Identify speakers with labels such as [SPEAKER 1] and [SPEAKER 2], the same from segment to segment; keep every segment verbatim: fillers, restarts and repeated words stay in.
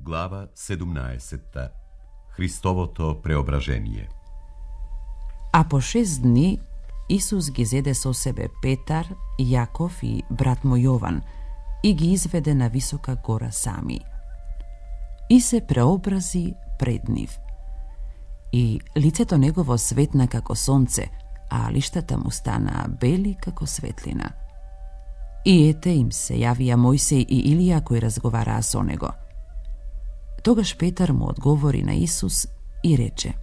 [SPEAKER 1] Глава седумнаесетта. Христовото преображение.
[SPEAKER 2] А по шест дни Исус ги зеде со себе Петар, Јаков и брат му Јован и ги изведе на висока гора сами. И се преобрази пред нив. И лицето негово светна како сонце, а лиштата му стана бели како светлина. И ете им се јавија Мојсей и Илија кои разговараа со него. Тогаш Петар му одговори на Исус и рече: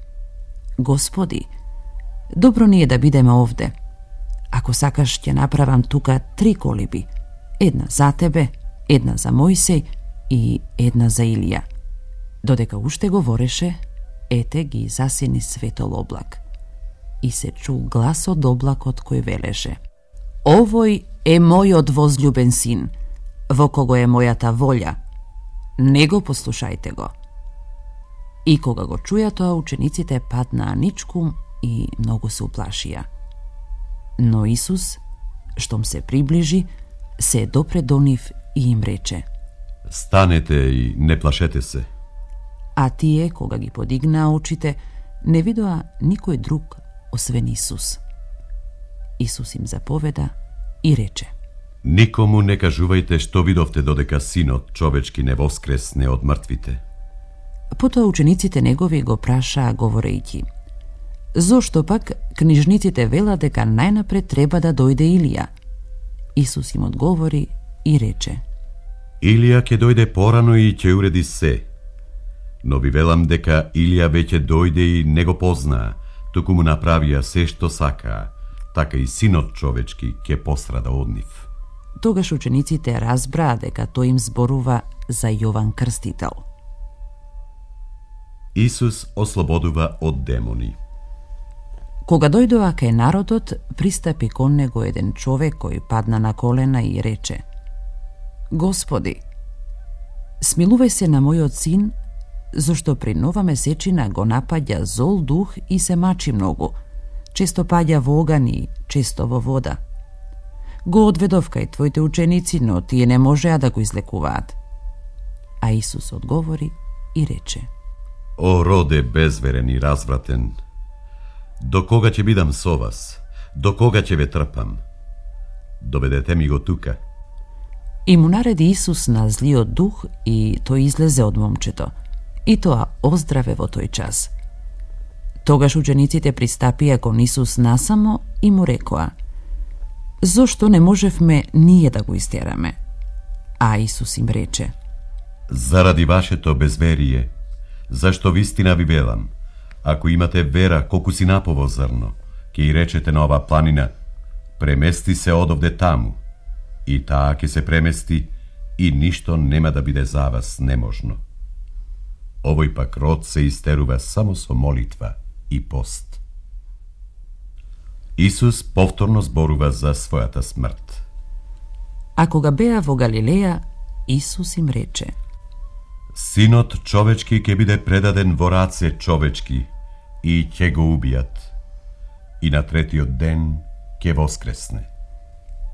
[SPEAKER 2] Господи, добро ни е да бидеме овде. Ако сакаш, ќе направам тука три колиби. Една за тебе, една за Мојсей и една за Илија. Додека уште говореше, ете ги засени светол облак. И се чу глас од облакот кој велеше: Овој е мојот возљубен син, во кого е мојата волја. Него послушајте го. И кога го чуја тоа, учениците паднаа ничкум и многу се уплашија. Но Исус, штом се приближи, се допре до нив и им рече:
[SPEAKER 1] Станете и не плашете се.
[SPEAKER 2] А тие, кога ги подигнаа очите, не видоа никој друг освен Исус. Исус им заповеда и рече:
[SPEAKER 1] Никому не кажувајте што видовте додека Синот човечки не воскресне од мртвите.
[SPEAKER 2] Потоа учениците негови го прашаа говорејќи: Зошто пак книжниците велат дека најнапред треба да дојде Илија? Исус им одговори и рече:
[SPEAKER 1] Илија ќе дојде порано и ќе уреди се. Но ви велам дека Илија веќе дојде и не го познаа, туку му направија се што сакаа, така и Синот човечки ќе пострада од нив.
[SPEAKER 2] Тогаш учениците разбраа дека тој им зборува за Јован Крстител.
[SPEAKER 1] Исус ослободува од демони.
[SPEAKER 2] Кога дојдоа кај народот, пристапи кон него еден човек кој падна на колена и рече: Господи, смилувај се на мојот син, зашто при нова месечина го напаѓа зол дух и се мачи многу, често паѓа во оган и често во вода. Го одведов кај твоите ученици, но тие не можеа да го излекуваат. А Исус одговори и рече:
[SPEAKER 1] О, роде безверен и развратен, до кога ќе бидам со вас? До кога ќе ве трпам? Доведете ми го тука.
[SPEAKER 2] И му нареди Исус на злиот дух и тој излезе од момчето, и тоа оздраве во тој час. Тогаш учениците пристапија кон Исус насамо и му рекоа: Зошто не можевме ние да го истераме? А Исус им рече:
[SPEAKER 1] Заради вашето безверие, зашто вистина ви велам, ако имате вера колку си напово зрно, ќе и речете на ова планина: премести се одовде таму, и таа ќе се премести, и ништо нема да биде за вас неможно. Овој пак род се истерува само со молитва и пост. Исус повторно зборува за својата смрт.
[SPEAKER 2] А кога беа во Галилеја, Исус им рече:
[SPEAKER 1] Синот човечки ќе биде предаден во раце човечки и ќе го убијат. И на третиот ден ќе воскресне.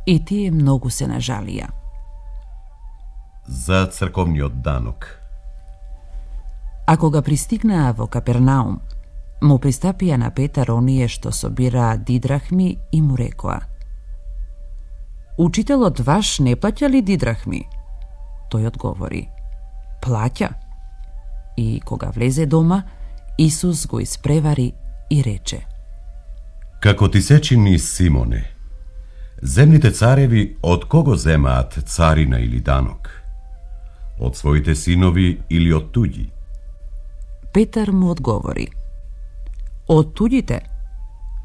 [SPEAKER 2] И тие многу се нажалија.
[SPEAKER 1] За црковниот данок.
[SPEAKER 2] А кога пристигнаа во Капернаум, му пристапија на Петар оние што собираа дидрахми и му рекоа: Учителот ваш не плаќа ли дидрахми? Тој одговори: Плаќа. И кога влезе дома, Исус го испревари и рече:
[SPEAKER 1] Како ти се чини, Симоне, земните цареви од кого земаат царина или данок? Од своите синови или од туѓи?
[SPEAKER 2] Петар му одговори: Од туѓите.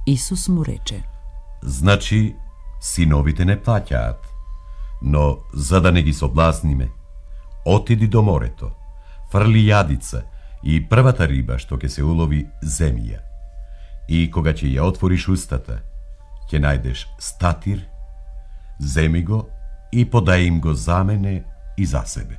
[SPEAKER 2] Исус му рече:
[SPEAKER 1] Значи, синовите не плаќаат, но за да не ги соблазниме, отиди до морето, фрли јадица и првата риба што ќе се улови земја. И кога ќе ја отвориш устата, ќе најдеш статир, земи го и подај им го за мене и за себе.